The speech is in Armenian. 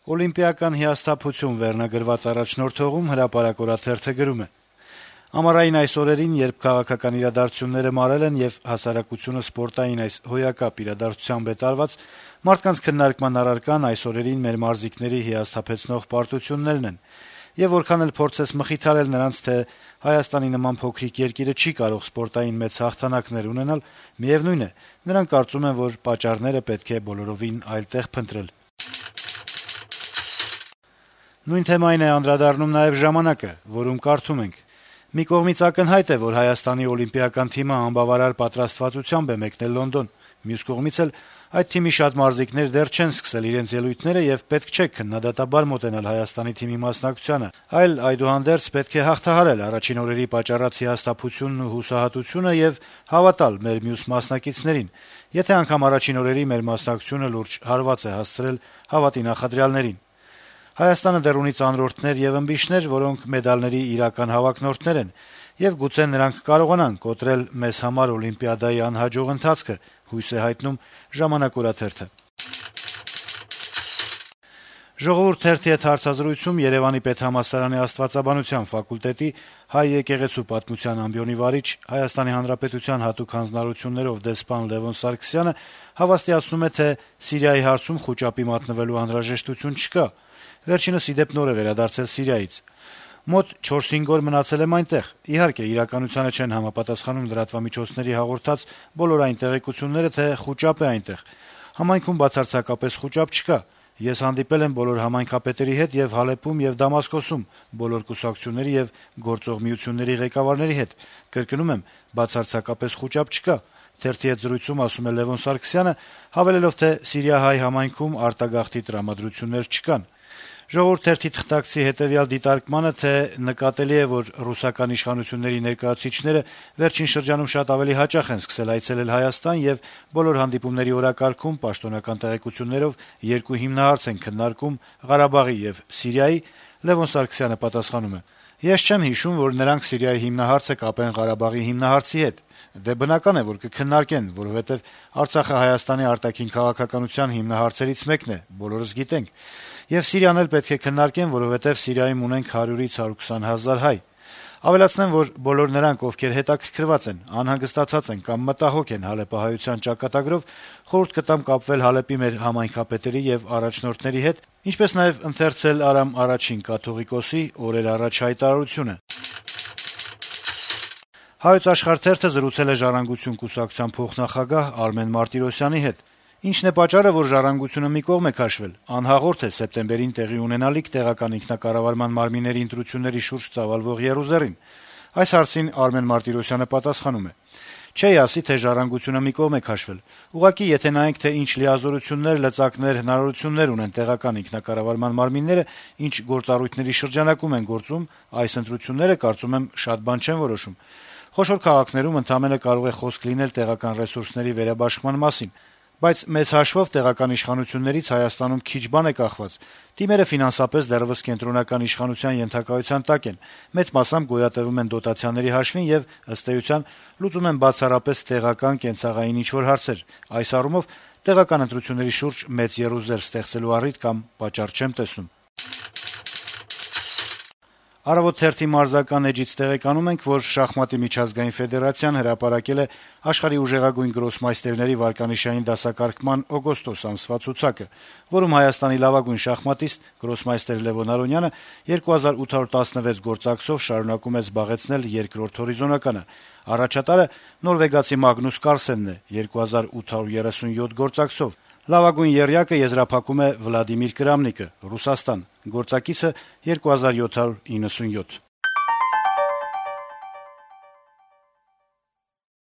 Օլիմպիական հիասթափություն վերնագրված առաջնորդողում հրապարակ օրաթերթը գրում է. - «Ամառային այս օրերին, երբ քաղաքական իրադարձությունները մարել են եւ հասարակությունը սպորտային այս հոյակապ իրադարձությամբ է տարված, մարդկանց քննարկման առարկան այս օրերին մեր մարզիկների հիասթափեցնող պարտություններն են: Եվ որքան էլ փորձես մխիթարել նրանց, թե Հայաստանի նման փոքրիկ երկիրը չի կարող սպորտային մեծ հաղթանակներ ունենալ, միեւնույն է, նրանք կարծում են, որ պատճառները պետք է բոլորովին այլ տեղ փնտրել»: Նույն թեմային է անդրադառնում նաեւ «Ժամանակ»-ը, որում կարդում ենք. - «Մի կողմից ակնհայտ է, որ Հայաստանի օլիմպիական թիմը անբավարար պատրաստվածությամբ է մեկնել Լոնդոն, մյուս կողմից էլ այդ թիմի շատ մարզիկներ դեռ չեն սկսել իրենց ելույթները եւ պետք չէ քննադատաբար մոտենալ Հայաստանի թիմի մասնակցությանը, այլ այդուհանդերձ պետք է հաղթահարել առաջին օրերի պատճառած հիասթափությունն ու հուսահատությունը եւ հավատալ մեր մյուս մասնակիցներին, եթե անգամ առաջին օրերի մեր մասնակցությունը լուրջ հարված է հասցրել հավատի նախադրյալներին: Հայաստանը դեռ ունի ծանրորդներ եւ ըմբիշներ, որոնք մեդալների իրական հավակնորդներ են, եւ գուցե նրանք կարողանան կոտրել մեզ համար Օլիմպիադայի անհաջող ընթացքը», հույս է հայտնում «Ժամանակ» օրաթերթը: «Ժողովուրդ» թերթի հետ հարցազրույցում Երեւանի պետհամալսարանի Աստվածաբանության ֆակուլտետի հայ եկեղեցու պատմության ամբիոնի վարիչ, ՀՀ հատուկ հանձնարարություններով դեսպան Լեւոն Սարգսյանը հավաստիացնում է, թե Սիրիայի հարցում խուճապի մատնվելու անհրաժեշտություն չկա: Վերջինս, ի դեպ, նոր է վերադարձել Սիրիայից. «Մոտ 4-5 օր մնացել եմ այնտեղ: Իհարկե, իրականությանը չեն համապատասխանում լրատվամիջոցների հաղորդած բոլոր այն տեղեկությունները, թե խուճապ է այնտեղ: Համայնքում բացարձակապես խուճապ չկա: Ես հանդիպել եմ բոլոր համայնքապետերի հետ եւ Հալեպում եւ Դամասկոսում, բոլոր կուսակցությունների եւ գործող միությունների ղեկավարների հետ: Կրկնում եմ, բացարձակապես խուճապ չկա», - թերթի հետ զրույցում ասում է Լեւոն Սարգսյանը, հավելելով, թե սիրիահայ համայնքում արտագաղթի տրամադրություններ չկան: «Ժողովուրդ» թերթի թղթակցի հետեւյալ դիտարկմանը, թե նկատելի է, որ ռուսական իշխանությունների ներկայացուցիչները վերջին շրջանում շատ ավելի հաճախ են սկսել այցելել Հայաստան եւ բոլոր հանդիպումների օրակարգում պաշտոնական տեղեկություններով երկու հիմնահարց են քննարկում` Ղարաբաղի եւ Սիրիայի, Լեւոն Սարգսյանը պատասխանում է. - «Ես չեմ հիշում, որ նրանք Սիրիայի հիմնահարցը կապեն Ղարաբաղի հիմնահարցի հետ: Դե բնական է, որ կքննարկեն, որովհետեւ Արցախը Հայաստանի արտաքին քաղաքականության հիմնահարցերից մեկն է, բոլորս գիտենք: Եվ Սիրիան էլ պետք է քննարկեն, որովհետեւ Սիրիայում ունենք 100-ից 120 հազար հայ: Ավելացնեմ, որ բոլոր նրանք, ովքեր հետաքրքրված են, անհանգստացած են կամ մտահոգ են հալեպահայության ճակատագրով, խորհուրդ կտամ կապվել Հալեպի մեր համայնքապետերի եւ առաջնորդների հետ, ինչպես նաեւ ընթերցել Արամ առաջին կաթողիկոսի օրեր առաջ հայտարարությունը»: «Հայոց Աշխարհ» թերթը զրուցել է «Ժառանգություն» կուսակցության փոխնախագահ Արմեն Մարտիրոսյանի հետ: Ինչն է պատճառը, որ «Ժառանգությունը» մի կողմ է քաշվել, անհաղորդ է սեպտեմբերին տեղի ունենալիք տեղական ինքնակառավարման մարմինների ընտրությունների շուրջ ծավալվող եռուզեռին: Այս հարցին Արմեն Մարտիրոսյանը պատասխանում է. - «Չէի ասի, թե «Ժառանգությունը» մի կողմ է քաշվել: Ուղղակի եթե նայենք, թե ինչ լիազորություններ, լծակներ, հնարավորություններ ունեն տեղական ինքնակառավարման մարմինները, ինչ գործառույթների շրջանակում են գործում, այս ընտրությունները, կարծում եմ, շատ բան չեն որոշում: Խոշոր քաղաքներում ընդամենը կարող է խոսք լինել տեղական ռեսուրսների վերաբաշխման մասին: Բայց մեծ հաշվով տեղական իշխանություններից Հայաստանում քիչ բան է կախված: Թիմերը ֆինանսապես դեռեւս կենտրոնական իշխանության ենթակայության տակ են, մեծ մասամբ գոյատեւում են դոտացիաների հաշվին եւ, ըստ էության, լուծում են բացառապես տեղական կենցաղային ինչ-որ հարցեր: Այս առումով տեղական ընտրությունների շուրջ մեծ եռուզեռ ստեղծելու առիթ կամ պատճառ չեմ տեսնում»: «Առավոտ» թերթի մարզական էջից տեղեկանում ենք, որ շախմատի միջազգային ֆեդերացիան հրապարակել է աշխարհի ուժեղագույն գրոսմայստերների վարկանիշային դասակարգման օգոստոս ամսվա ցուցակը, որում Հայաստանի լավագույն շախմատիստ գրոսմայստեր Լեւոն Արոնյանը 2816 գործակցով շարունակում է զբաղեցնել երկրորդ հորիզոնականը: Առաջատարը նորվեգացի Մագնուս Կարլսենն է 2837 գործակցով: Լավագույն եռյակը եզրափակում է Վլադիմիր Կրամնիկը, Ռուսաստան, գործակիցը 2797: